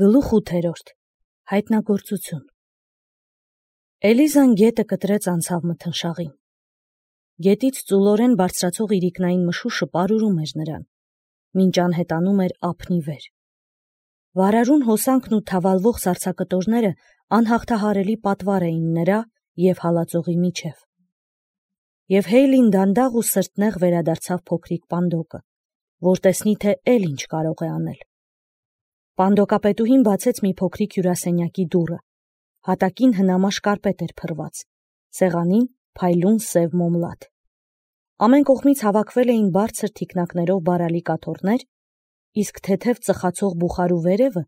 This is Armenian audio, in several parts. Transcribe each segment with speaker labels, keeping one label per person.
Speaker 1: Գլուխ 8. Հայտնագործություն։ Էլիզան գետը կտրեց անցավ մթնշաղին։ Գետից ծուլորեն բարձրացող իրիկնային մշուշը պարուրում էր նրան, մինչ անհետանում էր ափնի վեր։ Վարարուն հոսանքն ու թավալվող սառցակտորները անհաղթահարելի պատվար էին նրա և հալածողի միջև։ Եվ Հեյլին դանդաղ ու սրտնեղ վերադարձավ փոքրիկ Պանդոկը, որ տեսնի, թե էլ ինչ կարող է անել։ Պանդոկապետուհին բացեց մի փոքրիկ հյուրասենյակի դուռը, հատակին հնամաշ կարպետ էր փռված, սեղանին փայլուն սև մոմլատ։ Ամեն կողմից հավաքվել էին բարձր թիկնակներով բարալի կաթոռներ, իսկ թեթև ծխացող բուխարու վերևը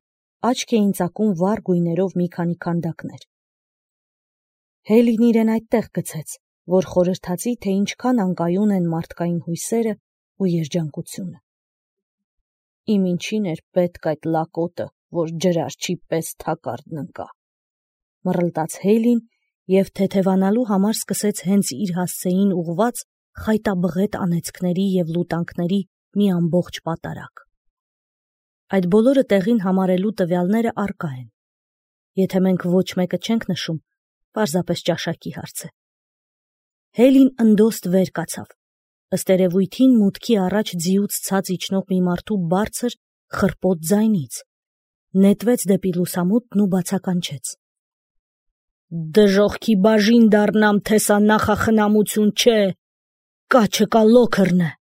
Speaker 1: աչք էին ծակում վառ գույներով մի քանի քանդակներ։ Հեյլին իրեն այդտեղ գցեց, որ խորհրդացի, թե ինչքան անկայուն են մարդկային հույսերը ու երջանկությունը։ Իմ ինչին էր պետք այդ լակոտը, որ ջրարջի պես թակարդն ընկա, մռլտաց Հեյլին և թեթևանալու համար սկսեց հենց իր հասցեին ուղված խայտաբղետ անեծքների և լուտանքների մի ամբողջ պատարակ։ Այդ բոլորը տեղին համարելու տվյալները առկա են։ Եթե մենք ոչ մեկը չենք նշում, պարզապես ճաշակի հարց է։ Հեյլին ընդոստ վեր կացավ, ըստ երևույթին մուտքի առաջ ձիուց ցած իջնող մի մարդու բարձր խռպոտ ձայնից, նետվեց դեպի լուսամուտն ու բացականչեց. «Դժոխքի բաժին դառնամ, թե սա նախախնամություն չէ, կաչը կա լոքրն է»։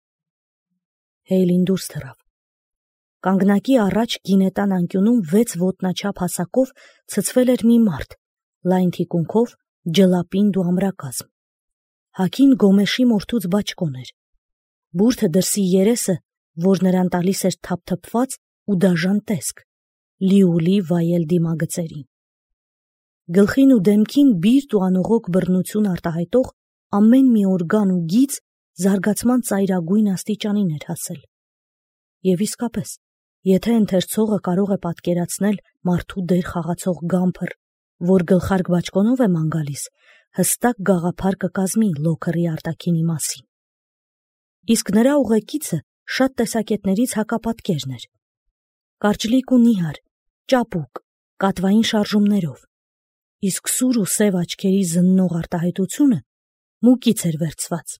Speaker 1: Հեյլին դուրս թռավ։ Կանգնակի առաջ գինետան անկյունում 6 ոտնաչափ հասակով ցցվել էր մի մարդ, լայն թիկունքով, ջլապինդ ու ամրակազմ։ Հագին գոմեշի մորթուց բաճկոն էր։ Բուրդը դրսի երեսը, որ նրան տալիս էր թափթփված ու դաժան տեսք, լիուլի վայել դիմագծերին։ Գլխին ու դեմքին բիրտ ու անողոք բռնություն արտահայտող ամեն մի օրգան ու գիծ զարգացման ծայրագույն աստիճանին էր հասել։ Եվ իսկապես, եթե ընթերցողը կարող է պատկերացնել մարդու դեր խաղացող գամփր, որ գլխարկ բաճկոնով է ման գալիս, հստակ գաղափար կկազմի լոքրի արտաքինի մասին։ Իսկ նրա ուղեկիցը շատ տեսակետներից հակապատկերն էր։ Կարճլիկ ու նիհար, ճապուկ, կատվային շարժումներով, իսկ սուր ու սև աչքերի զննող արտահայտությունը մուկից էր վերցված։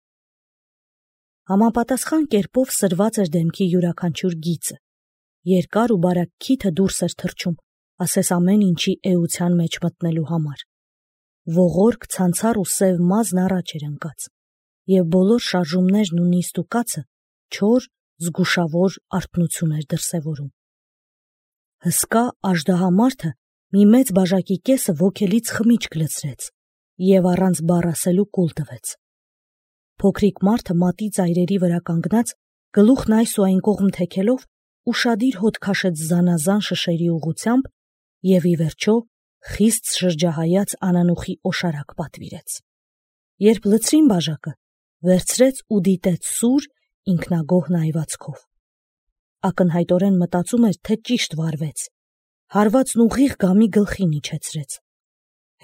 Speaker 1: Համապատասխան կերպով սրված էր դեմքի յուրաքանչյուր գիծը, երկար ու բարակ քիթը դուրս էր թռչում, ասես ամեն ինչի էության մեջ մտնելու համար։ Ողորկ, ցանցառ ու սև մազն առաջ էր ընկած, և բոլոր շարժումներն ու նիստ ու կացը չոր, զգուշավոր արթնություն էր դրսևորում։ Հսկա աժդահամարդը մի մեծ բաժակի կեսը ոգելից խմիչք լցրեց և առանց բառ ասելու կուլ տվեց։ Փոքրիկ մարդը մատի ծայրերի վրա կանգնած, գլուխն այս ու այն կողմ թեքելով, ուշադիր հոտ քաշեց զանազան շշերի ուղղությամբ և ի վերջո խիստ շրջահայաց անանուխի օշարակ պատվիրեց։ Երբ լցրին բաժակը, վերցրեց ու դիտեց սուր, ինքնագոհ նայվածքով։ Ակնհայտորեն մտածում էր, թե ճիշտ վարվեց, հարվածն ուղիղ գամի գլխին իջեցրեց։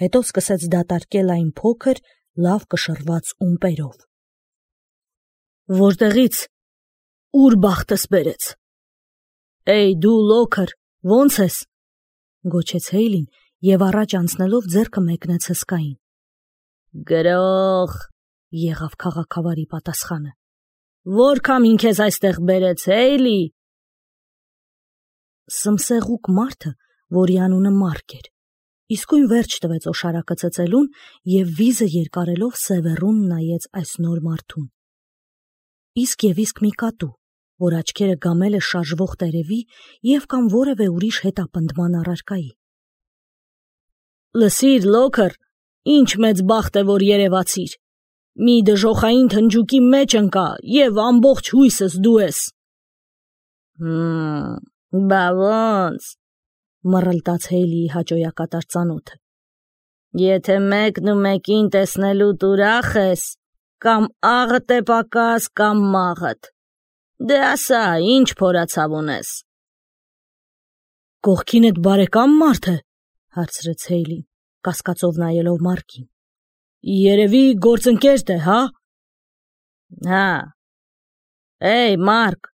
Speaker 1: Հետո սկսեց դատարկել այն փոքր, լավ կշռված ումպերով։ Որտեղից, ուր բախտս բերեց։ Էй դու լոքր, ո՞նց ես, գոչեց Հեյլին և առաջ անցնելով ձեռքը մեկնեց հսկային։ Գրող, եղավ քաղաքավարի պատասխանը։ Որ քամին քեզ այստեղ բերեց, Հեյլի։ Սմսեղուկ մարդը, որի անունը Մարկ էր, իսկույն վերջ տվեց օշարակը ծծելուն և վիզը երկարելով սևեռուն նայեց այս նոր մարդուն։ Իսկ և իսկ մի կատու, որ աչքերը գամել է շարժվող տերևի և կամ որևէ ուրիշ հետապնդման առարկայի։ Լսիր, լոքր, ինչ մեծ բախտ է, որ երևացիր։ Մի դժոխային թնջուկի մեջ ընկա և ամբողջ հույսս դու ես։ Բա ոնց, մռլտաց Հեյլիի հաճոյակատար ծանոթը։ Եթե մեկն ու մեկին տեսնելուդ ուրախ ես, կամ աղդ է պակաս, կամ մաղդ, դե ասա, ինչ փորացավ ունես։ Կողքինդ բարեկամ մարդ է, հարցրեց Հեյլին, կասկածով նայելով Մարկին։ Երևի գործընկերդ է, հա։ Հա։ Էй, Մարկ,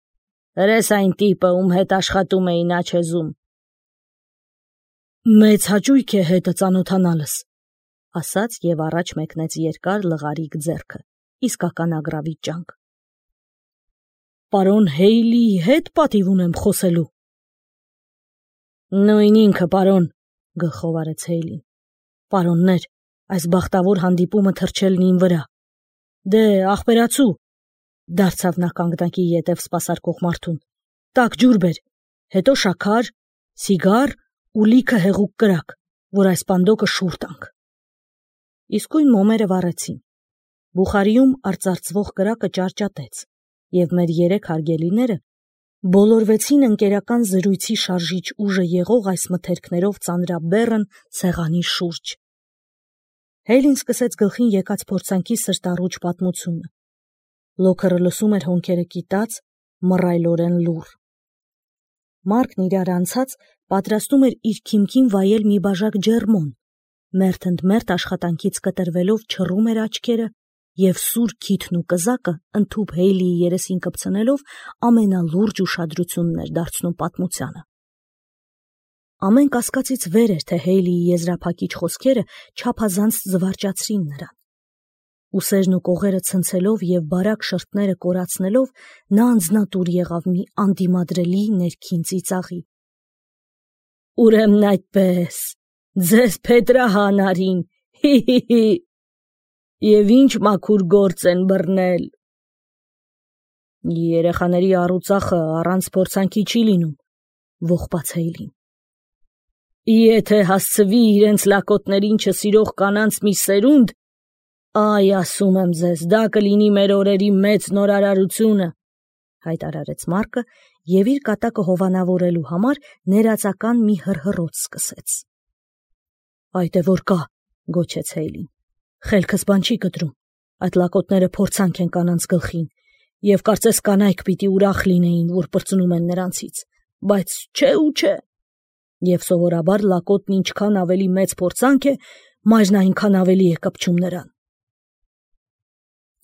Speaker 1: հրես այն տիպը, ում հետ աշխատում էի Նաչեզում։ Մեծ հաճույք է հետը ծանոթանալս, ասաց եւ առաջ մեկնեց երկար լղարիկ ձեռքը, իսկական ագրավիչ ջանք։ Պարոն Հեյլիի հետ պատիվ ունեմ խոսելու։ Նույն ինքը, պարոն, գլխով արեց Հեյլին։ Պարոններ, այս բախտավոր հանդիպումը թրջելն իմ վրա։ Դե, ախպերացու, դարձավ նա կանգնակի ետև սպասարկող մարդուն։ Տակ ջուր բեր, հետո շաքար, սիգար ու լիքը հեղուկ կրակ, որ այս պանդոկը շուռ տանք։ Իսկույն մոմերը վառեցին։ Բուխարիում արծարծվող կրակը ճարճատեց, եւ մեր երեք հարգելիները բոլորվեցին ընկերական զրույցի շարժիչ ուժը եղող այս մթերքներով ծանրաբեռն սեղանի շուրջ։ Հեյլին սկսեց գլխին եկած փորձանքի սրտառուչ պատմությունը։ Լոքերը լսում էր հոնքերը կիտած, մռայլորեն լուռ։ Մարկն իրար անցած պատրաստում էր իր քիմքին վայել մի բաժակ ջերմոն, մերթ ընդ մերթ աշխատանքից կտրվելով չռում էր աչքերը եւ սուր քիթն ու կզակը ընդհուպ Հեյլիի երեսին կպցնելով ամենալուրջ ուշադրությունն էր դարձնում պատմությանը։ Ամեն կասկածից վեր էր, թե Հեյլիի եզրափակիչ խոսքերը չափազանց զվարճացրին նրան։ Ուսերն ու կողերը ցնցելով եւ բարակ շրթները կորացնելով նա անձնատուր եղավ մի անդիմադրելի ներքին ծիծաղի։ Ուրեմն այդպես, ձեզ Փետրահանարին, հի, եւ ինչ մաքուր գործ են բռնել։ Երեխաների առուծախը առանց փորձանքի չի լինում, ողբաց Հեյլին։ Եթե հասցվի իրենց լակոտներին չսիրող կանանց մի սերունդ, այ ասում եմ ձեզ, դա կլինի մեր օրերի մեծ նորարարությունը, հայտարարեց Մարկը եւ իր կատակը հովանավորելու համար ներածական մի հռհռոց սկսեց։ Այդ է որ կա, գոչեց Հեյլին։ Խելքս բան չի կտրում, այդ լակոտները փորձանք են կանանց գլխին, եւ կարծես կանայք պիտի ուրախ լինեին, որ պրծնում են նրանցից, բայց չէ ու չէ։ Եվ սովորաբար լակոտն ինչքան ավելի մեծ փորձանք է, մայրն այնքան ավելի է կպչում նրան։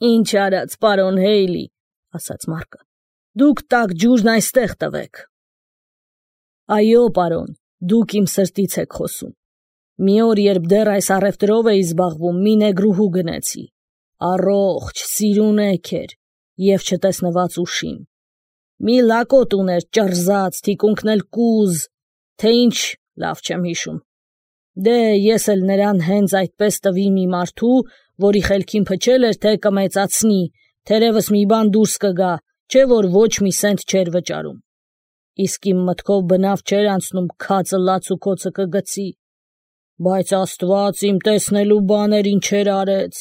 Speaker 1: Ինչ արած, պարոն Հեյլի, ասաց Մարկը, դուք տակ ջուրն այստեղ տվեք։ Այո, պարոն, դուք իմ սրտից եք խոսում։ Մի օր, երբ դեռ այս առևտրով էի զբաղվում, մի նեգրուհու գնեցի, առողջ, սիրունեք էր եւ չտեսնված ուշիմ։ Մի լակոտ ուներ ճռզած, թիկունքն էլ կուզ, թե ինչ, լավ չեմ հիշում։ Դե ես էլ նրան հենց այդպես տվի մի մարդու, որի խելքին փչել էր, թե կմեծացնի, թերևս մի բան դուրս կգա, չէ որ ոչ մի սենտ չէր վճարում։ Իսկ իմ մտքով բնավ չէր անցնում քածը լացուկոցը կգցի, բայց Աստված իմ տեսնելու բաներ ինչեր արեց։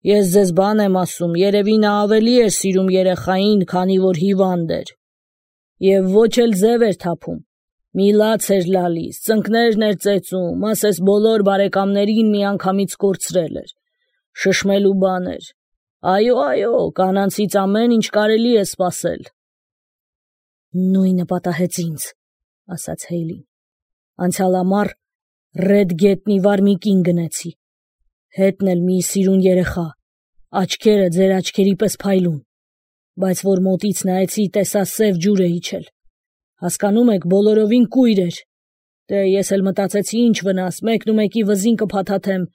Speaker 1: Ես ձեզ բան եմ ասում, երևի նա ավելի էր սիրում երեխային, քանի որ հիվանդ էր։ Եվ ոչ էլ ձև էր թափում։ Մի լաց էր լալիս, ծնկներն էր ծեծում, ասես բոլոր բարեկամներին միանգամից կորցրել էր։ Շշմելու բան էր։ Այո, կանանցից ամեն ինչ կարելի է սպասել։ Նույնը պատահեց ինձ, ասաց Հեյլին։ Անցյալ ամառ Ռեդգետնի վարմիկին գնեցի։ Հետն էլ մի սիրուն երեխա, աչքերը ձեր աչքերի պես փայլուն, բայց որ մոտից նայեցի, տեսա սև ջուր է իջել։ Հասկանում եք, բոլորովին կույր էր։ Դե ես էլ մտածեցի ինչ վնաս, մեկնումեկի վզին կփաթաթեմ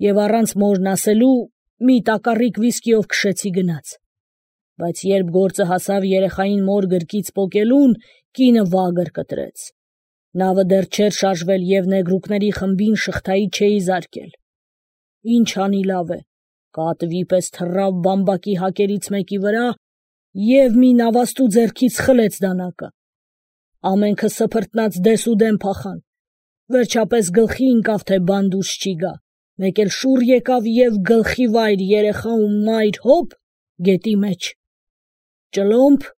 Speaker 1: եւ առանց մորն ասելու մի տակառիկ վիսկիով քշեցի գնաց։ Բայց երբ գործը հասավ երեխային մոր գրկից պոկելուն, կինը վագր կտրեց։ Նավը դեռ չէր շարժվել եւ նեգրուկների խմբին շղթայի չէի զարկել։ Ինչ անի լավ է, կատվի պես թռավ բամբակի հակերից մեկի վրա եւ մի նավաստու ձեռքից խլեց դանակը։ Ամենքը սփռտնած դեսուդեն փախան։ Վերջապես գլխի ընկավ, թե բան դուրս չի գա։ Մեկ էլ շուռ եկավ եւ գլխի վայր երեխա ու մայր հոп գետի մեջ։ Ճլոմփ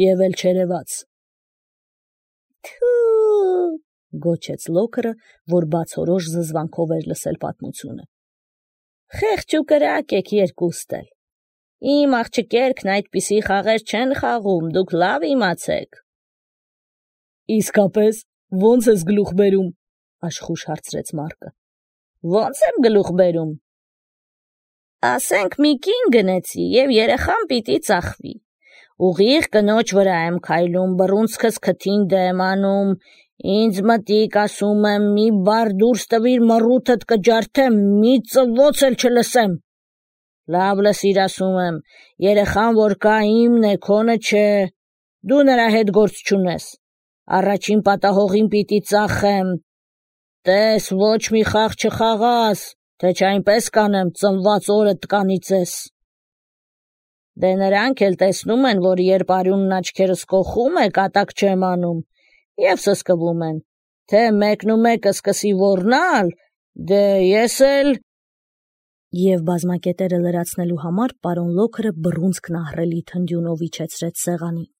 Speaker 1: եւ էլ չերևաց։ Թու գոչեց Լոքերը, որ բացորոշ զզվանքով էր լսել պատմությունը։ Խեղճ ու կրակ եք երկուստ էլ։ Իմ աղջիկերքն այդպիսի խաղեր չեն խաղում, դուք լավ իմացեք։ Իսկապես, ո՞նց ես գլուխ բերում, աշխուժ հարցրեց Մարկը։ Ո՞նց եմ գլուխ բերում։ Ասենք մի կին գնեցի եւ երեխան պիտի ծախվի։ Ուղիղ կնոջ վրա եմ քայլում, բռունցքս քթին դեմ անում Ինձ մտիկ ասում եմ, մի բար դուրս տվիր մռութդ կջարդեմ, մի ծվոց էլ չլսեմ։ Լավ լսիր ասում եմ, երեխան որ կա իմն է, քոնը չէ, դու նրա հետ գործ չունես, առաջին պատահողին պիտի ծախեմ, տես ոչ մի խաղ չխաղաս, թե չայնպես կանեմ ծնված օրդ տկանիցես։ Դե նրանք էլ տեսնում են, որ երբ արյունն աչքերս կոխում է, կատակ չեմ անում, և սսկվում են, թե մեկնումեկը սկսի ոռնալ, դե ես էլ… Եվ բազմակետերը լրացնելու համար պարոն Լոքերը բռունցքն ահռելի թնդյունով իջեցրեց սեղանին։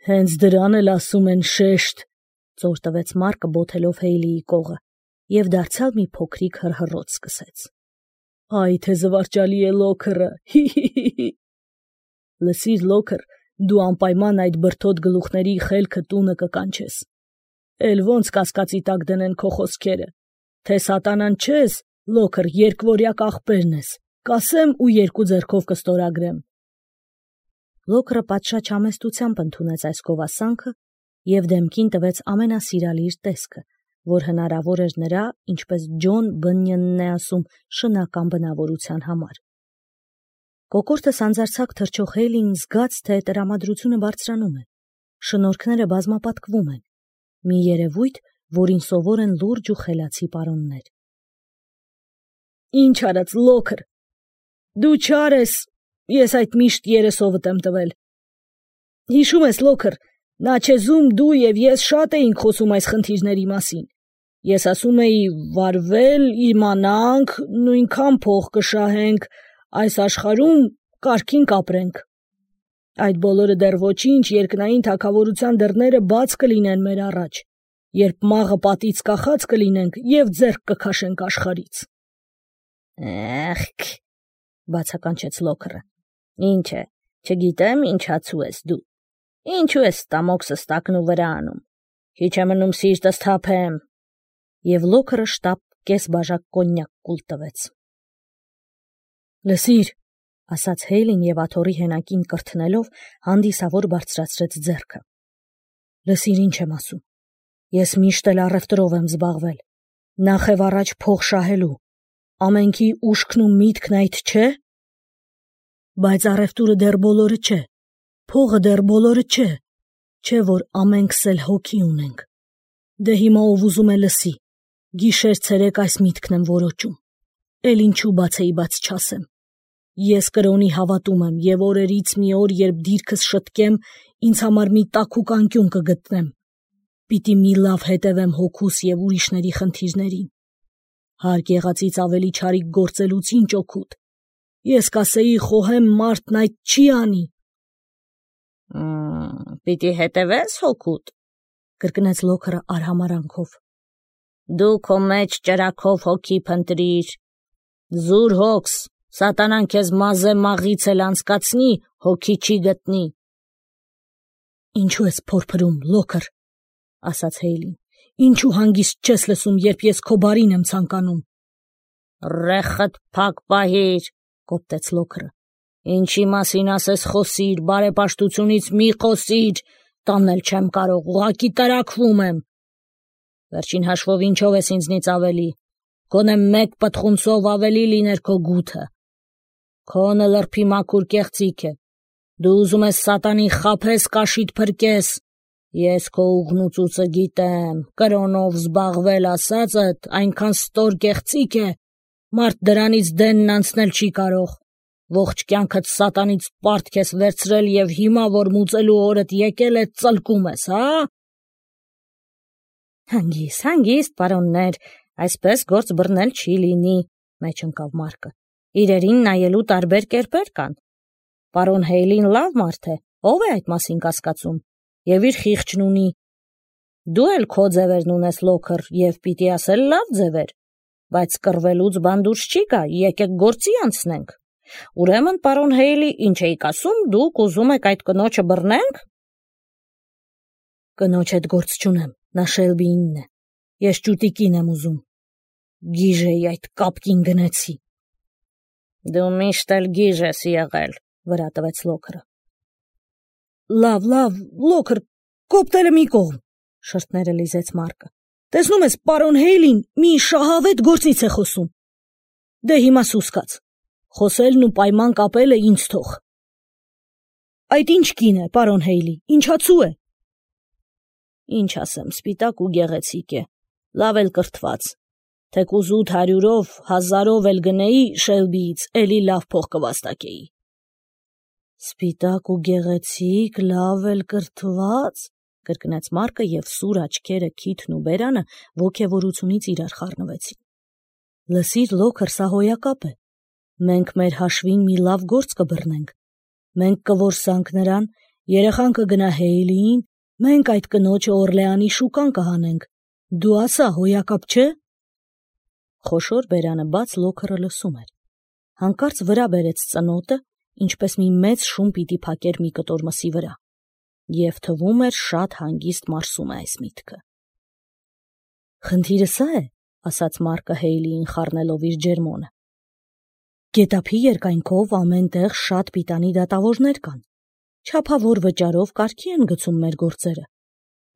Speaker 1: Հենց դրան էլ ասում են շեշտ, ծոր տվեց Մարկը բոթելով Հեյլիի կողը, և դարձյալ մի փոքրիկ հռհռոց սկսեց։ Այ թե զվարճալի է Լոքերը, հի։ Լսիր Լոքեր, դու անպայման այդ բրդոտ գլուխների խելքը տունը կկանչես։ Էլ ոնց կասկածի տակ դնեն քո խոսքերը, թե սատանան չես, Լոքեր, երկվորյակ աղբերն ես, կասեմ ու երկու ձեռքով կստորագրեմ։ Լոքերը պատշաճ համեստությամբ ընդունեց այս գովասանքը և դեմքին տվեց ամենասիրալի իր տեսքը, որ հնարավոր էր նրա, ինչպես Ջոն Բնյընն է ասում, շնական բնավորության համար։ Կոկորդը սանձարձակ թռչող Հեյլին զգաց, թե տրամադրությունը բարձրանում է, շնորհքները բազմապատկվում են, մի երևույթ, որին սովոր են լուրջ ու խելացի պարոններ։ Ինչ արած Լոքեր, դու չար ես, ես այդ միշտ երեսովդ եմ տվել։ Հիշում ես Լոքեր, Նաչեզում դու և ես շատ էինք խոսում այս խնդիրների մասին։ Ես ասում էի վարվել, իմանանք, նույնքան փող կշահենք, այս աշխարհում կարգին կապրենք։ Այդ բոլորը դեռ ոչինչ, երկնային թագավորության դռները բաց կլինեն մեր առաջ, երբ մաղը պատից կախած կլինենք և ձեռք կքաշենք աշխարհից։ Էխ, բացականչեց Լոքերը, ինչ է, չգիտեմ ինչ հացու ես դու, ինչու ես ստամոքսս տակնու վրա անում, քիչ է մնում սիրտս թափեմ, և Լոքերը շտապ կես բաժակ կոնյակ կուլ տվեց։ Լսիր, ասաց Հեյլին և աթոռի հենակին կրթնելով հանդիսավոր բարձրացրեց ձեռքը։ Լսիր ինչ եմ ասում, ես միշտ էլ առևտրով եմ զբաղվել, նախ և առաջ փող շահելու, ամենքի ուշքն ու միտքն այդ չէ։ Բայց առևտուրը դեռ բոլորը չէ, փողը դեռ բոլորը չէ, որ ամենքս էլ հոգի ունենք։ Դե հիմա ով ուզում է լսի, գիշեր ցերեկ այս միտքն եմ որոճում, էլ ինչու բացեի բաց չասեմ։ Ես կրոնի հավատում եմ և օրերից մի օր, երբ դիրքս շտկեմ, ինձ համար մի տաքուկ անկյուն կգտնեմ։ Պիտի մի լավ հետևեմ հոգուս և ուրիշների խնդիրներին։ Հարկ եղածից ավելի չարիք գործելուց ինչ օգուտ։ Ես կասեի խոհեմ մարդն այդ չի անի։ Պիտի հետևես հոգուտ, կրկնեց Լոքերը արհամարանքով։ Դու քո մեջ ճրագով հոգի փնտրիր, զուր հոգս, սատանան քեզ մազե մաղից էլ անցկացնի, հոգի չի գտնի։ Ինչու ես փորփրում, Լոքեր, ասաց Հեյլին, ինչու հանգիստ չես լսում, երբ ես քո բարին եմ ցանկանում։ Ռեխդ փակ պահիր, կոպտեց Լոքերը, ինչի մասին ասես խոսիր, բարեպաշտությունից մի խոսիր, տանել չեմ կարող, ուղղակի տրաքվում եմ։ Վերջին հաշվով ինչով ես ինձնից ավելի, գոնե մեկ պտխունցով ավելի լիներ քո գութը։ Քոնը լրբի մաքուր կեղծիք է, դու ուզում ես սատանին խաբես, կաշիդ փրկես, ես քո ուղն ու ծուծը գիտեմ, կրոնով զբաղվել ասածդ այնքան ստոր կեղծիք է, մարդ դրանից դենն անցնել չի կարող, ողջ կյանքդ սատանից պարտք ես վերցրել և հիմա, որ մուծելու օրդ եկել է, ծլկում ես, հա։ Հանգիստ, պարոններ, այսպես գործ բռնել չի լինի, մեջ ընկավ Մարկը, իրերին նայելու տարբեր կերպեր կան։ Պարոն Հեյլին լավ մարդ է, ով է այդ մասին կասկածում, և իր խիղճն ունի։ Դու էլ քո ձևերն ունես Լոքեր, և պիտի ասել լավ ձևեր, բայց կռվելուց բան դուրս չի գա, եկեք գործի անցնենք։ Ուրեմն, պարոն Հեյլի, ինչ էիք ասում, դուք ուզում եք այդ կնոջը բռնենք։ Կնոջ հետ գործ չունեմ, նա Շելբիինն է, ես ճուտիկին եմ ուզում, գիժ էի այդ կապկին գնեցի։ Դու միշտ էլ գիժ ես եղել, վրա տվեց Լոքերը։ Լավ, Լոքեր, Կոպտերը մի կողմ, շրթները լիզեց Մարկը։ Տեսնում ես, պարոն Հեյլին մի շահավետ գործից է խոսում։ Դե հիմա սուսկաց։ Խոսելն ու պայման կապելը ինձ թող։ Այդ ինչ կին է, պարոն Հեյլի, ինչացու է։ Ինչ ասեմ, սպիտակ ու գեղեցիկ է, լավ էլ կրթված։ Թեկուզ 800-ով, 1000-ով էլ գնեի Շելբիից, էլի լավ փող կվաստակեի։ Սպիտակ ու գեղեցիկ, լավ էլ կրթված, կրկնեց Մարկը եւ սուր աչքերը, քիթն ու բերանը ոգևորությունից իրար խառնվեցին։ Լսիր, Լոքր, սա հոյակապ է։ Մենք մեր հաշվին մի լավ գործ կբռնենք։ Մենք կորսանք նրան, երեխան կգնա Հեյլիին, մենք այդ կնոջը Օրլեանի շուկան կհանենք։ Դու ասա, հոյակապ չէ։ Խոշոր բերանը բաց Լոքերը լսում էր։ Հանկարծ վրա բերեց ծնոտը, ինչպես մի մեծ շուն պիտի փակեր մի կտոր մսի վրա։ Եվ թվում էր շատ հանգիստ մարսում է այս միտքը։ Խնդիրը սա է, ասաց Մարկը Հեյլիին խառնելով իր ջերմոնը։ Գետափի երկայնքով ամեն տեղ շատ պիտանի դատավորներ կան։ Չափավոր վճարով կարգի են գցում մեր գործերը։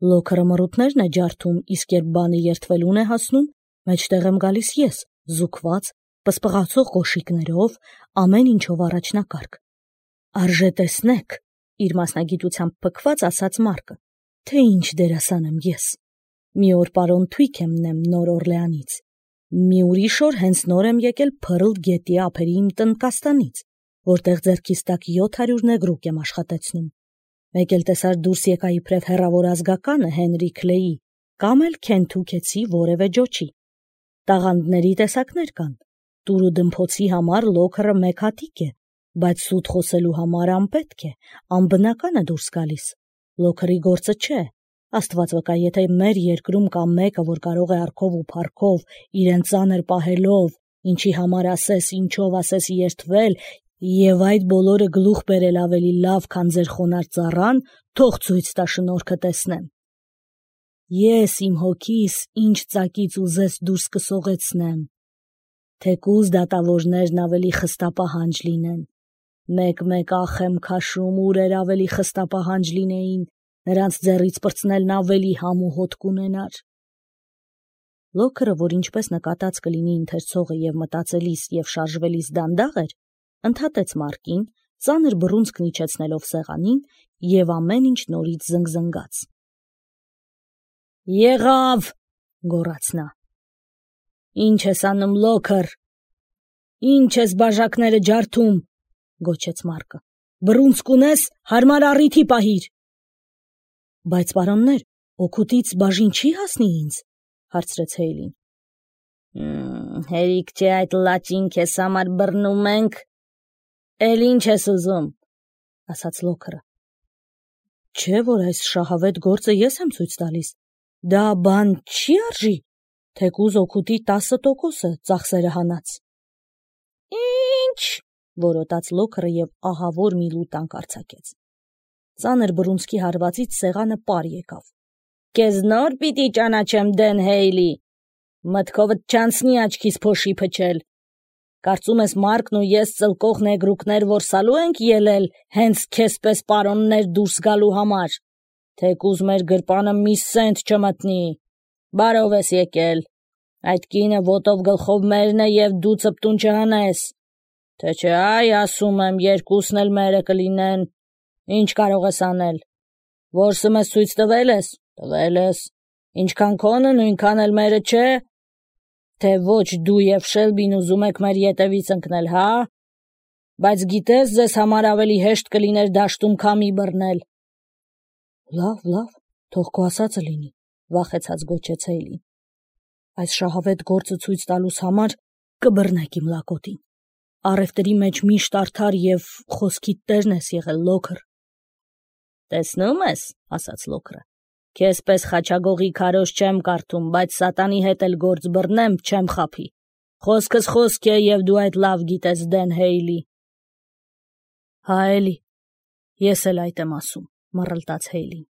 Speaker 1: Լոքերը մռութներն է ջարդում, իսկ երբ բանը երթվելուն է հասնում, մեջտեղ եմ գալիս ես, զուգված, պսպղացող կոշիկներով, ամեն ինչով առաջնակարգ։ Արժե տեսնեք, իր մասնագիտությամբ փքված ասաց Մարկը, թե ինչ դերասան եմ ես։ Մի օր պարոն Թույքեմն եմ նոր Օրլեանից։ Մի ուրիշ օր հենց նոր եմ եկել Փըրլ գետի ափերի իմ տնկաստանից, որտեղ ձեռքիս տակ 700 նեգրուկ եմ աշխատեցնում։ Մեկ էլ տեսար դուրս եկա իբրև հեռավոր ազգականը Հենրի Քլեի, կամ էլ Քենթուքեցի որևէ ջոչի։ Տաղանդների տեսակներ կան։ Տուրու դմփոցի համար Լոքերը մեկ հատիկ է, բայց սուտ խոսելու համար անպետք է, անբնական է դուրս գալիս։ Լոքերի գործը չէ։ Աստված վկա, եթե մեր երկրում կա մեկը, որ կարող է արքով ու փառքով, իրեն ծանր պահելով, ինչի համար ասես, ինչով ասես երթվել, եւ այդ բոլորը գլուխ բերել ավելի լավ, քան ձեր խոնար ծառան, թող ցույց տա շնորհքը տեսնեմ։ Ես իմ հոգիս ինչ ծակից ուզես դուրս կսողեցնեմ։ Թեկուզ դատավորներն ավելի խստապահանջ լինեն։ Մեկ-մեկ ախ եմ քաշում, ուրեր ավելի խստապահանջ լինեին, նրանց ձեռից պրծնելն ավելի համ ու հոտ կունենար։ Լոքերը, որ ինչպես նկատած կլինի ընթերցողը եւ մտածելիս եւ շարժվելիս դանդաղ էր, ընդհատեց Մարկին, ծանր բռունցքն իջեցնելով սեղանին եւ ամեն ինչ նորից զնգզնգաց։ Եղավ, գոռաց նա։ Ինչ ես անում, Լոքեր։ Ինչ ես բաժակները ջարդում, գոչեց Մարկը։ Բռունցք ունես, հարմար առիթի պահիր։ Բայց պարոններ, օգուտից բաժին չի հասնի ինձ, հարցրեց Հեյլին։ Հերիք չէ այդ լաճին քեզ համար բռնում ենք։ Էլ ինչ ես ուզում, ասաց Լոքերը։ Չէ, որ այս շահավետ գործը ես եմ ցույց տալիս։ Դա բան չի արժի, թեկուզ օգուտի 10% ծախսերը հանած։ Ինչ, որոտաց Լոքերը եւ ահավոր մի լուտանք արձակեց։ Ծանր բռունցքի հարվածից սեղանը պար եկավ։ Քեզ նոր պիտի ճանաչեմ, Դեն Հեյլի։ Մտքովդ չանցնի աչքիս փոշի փչել։ Կարծում ես Մարկն ու ես ծլկող նեգրուկներ որսալու ենք ելել հենց քեզպես պարոններ դուրս գալու համար։ Թեկուզ մեր գրպանը մի սենտ չմտնի։ Բարով ես եկել։ Այդ կինը ոտով գլխով մերն է եւ դու ծպտուն չհանես։ Թե չէ, այ ասում եմ, երկուսն էլ մերը կլինեն։ Ինչ կարող ես անել։ Որսը մեզ ցույց տվել ես։ Տվել ես։ Ինչքան քոնը, նույնքան էլ մերը չէ։ Թե ոչ դու եւ Շելբին ուզում եք մեր ետևից ընկնել, հա։ Բայց գիտես, ձեզ համար ավելի հեշտ կլիներ դաշտում քամի բռնել։ Լավ, թող քո ասածը լինի, վախեցած գոչեց Հեյլին։ Այս շահավետ գործը ցույց տալուս համար կբռնեք իմ լակոտին։ Առևտրի մեջ միշտ արդար եւ խոսքիդ տերն ես եղել, Լոքեր։ Տեսնում ես, ասաց Լոքերը, քեզպես խաչագողի քարոզ չեմ կարդում, բայց սատանի հետ էլ գործ բռնեմ, չեմ խափի։ Խոսքս խոսք է եւ դու այդ լավ գիտես, Դեն Հեյլի։ Հա էլի, ես էլ այդ եմ ասում, մռլտաց Հեյլին։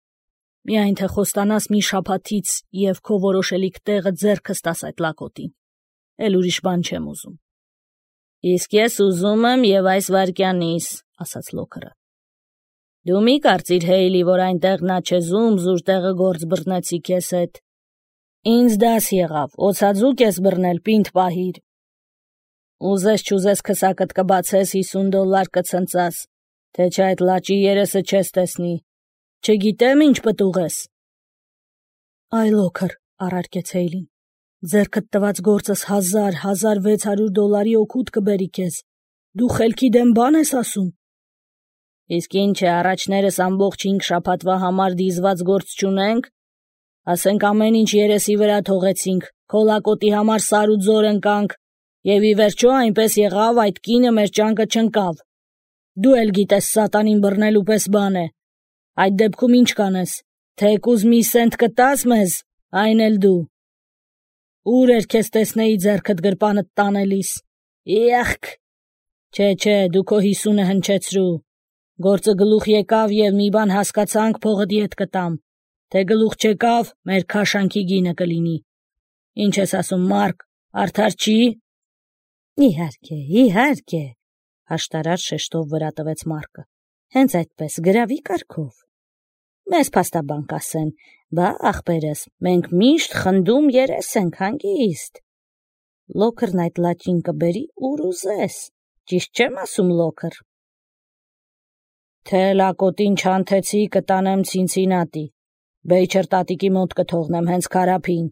Speaker 1: Միայն թե խոստանաս մի շաբաթից եւ քո որոշելիք տեղը ձեռքս տաս այդ լակոտին։ Էլ ուրիշ բան չեմ ուզում։ Իսկ ես ուզում եմ եւ այս վարքյանից, ասաց Լոքերը։ Դու մի կարծիր Հեյլի, որ այնտեղ նա չեզում զուր տեղը գործ բռնեցի քեզ հետ։ Ինձ դաս եղավ, օծածուկ ես բռնել, պինդ պահիր։ Ուզես չուզես քսակդ կբացես, $50 կցնծաս, թե չէ այդ լաճի երեսը չես տեսնի։ Չգիտեմ ինչ պտուղ ես։ Այ Լոքր, առարկեց Հեյլին, ձերքդ տված գործս $1,000–1,600 օգուտ կբերի քեզ։ Դու խելքի դեմ բան ես ասում։ Իսկ ինչ է, առաջներս ամբողջ 5 շաբաթվա համար դիզված գործ չունենք։ Ասենք ամեն ինչ երեսի վրա թողեցինք, քոլակոտի համար սար ու ձոր ընկանք, եւ ի վերջո այնպես եղավ, այդ կինը մեր ճանկը չընկավ։ Դու էլ գիտես սատանին բռնելու պես բան է։ Այդ դեպքում ինչ կանես, թեկուզ մի սենտ կտաս մեզ, այն էլ դու։ Ուր էր քեզ տեսնեի ձեռքդ գրպանդ տանելիս։ Իախք։ Չէ, դու քո 50-ը հնչեցրու։ Գործը գլուխ եկավ եւ մի բան հասկացանք, փողդ ետ կտամ։ Թե գլուխ չեկավ, մեր քաշանքի գինը կլինի։ Ինչ ես ասում, Մարկ, արդար չի։ Իհարկե, հաշտարար շեշտով վրա տվեց Մարկը։ Հենց այդպես գրավի կարգով։ Մեզ փաստաբան կասեն, բա ախպերս, մենք միշտ խնդում երես ենք հանգիստ։ Լոքրն այդ լաճին կբերի ուր ուզես։ Ճիշտ չեմ ասում, Լոքր։ Թե լակոտին չանթեցի, կտանեմ Ցինցինատի։ Բեյչեր տատիկի մոտ կթողնեմ հենց Քարափին։